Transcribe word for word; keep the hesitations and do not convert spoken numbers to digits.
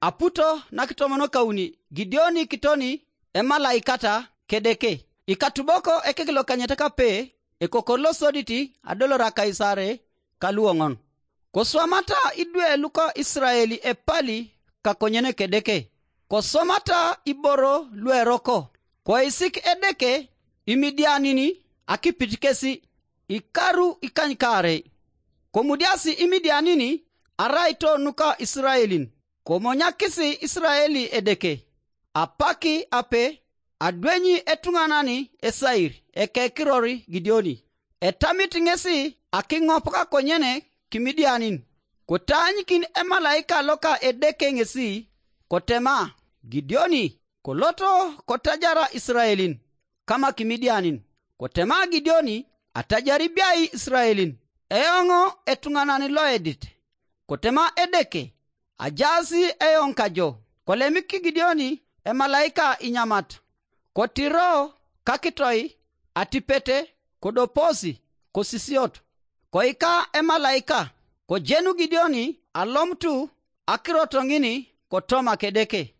Aputo nakitomonokauni Gideoni kitoni emalaikata kedeke. Ikatuboko ekekilokanyete kape ekokor losodit adolora Kaisare kaluoŋon. Koswamata idwe luka Israeli epali kakonyen kedeke. Koswamata iboro lueroko. Koisik edeke Imidianin akipit kesi ikaru ikanykaarei. Komudiasi Imidianin araito nuka Israelin. Komonyakis Israeli edeke. Apaki ape adwenyi etuŋanan esair ekekiror Gideoni. Etamit ŋesi akiŋop kakonyen Kimidianin. Kotaanyikin emalaika loka Edeke ŋesi, kotema, Gideoni, koloto kotajara Israelin kama Kimidianin. Kotema Gideoni, atajari biai Israelin, eoŋ etuŋanan loedit. Kotema Edeke, ajaas eoŋ kajo. Kolemik Gideoni emalaika inyamat, kotiro kakitoi atipete, kodoposi kosisiot. Koika emalaika, kojenu Gideoni alomutu akirot ŋin kotoma kedeke.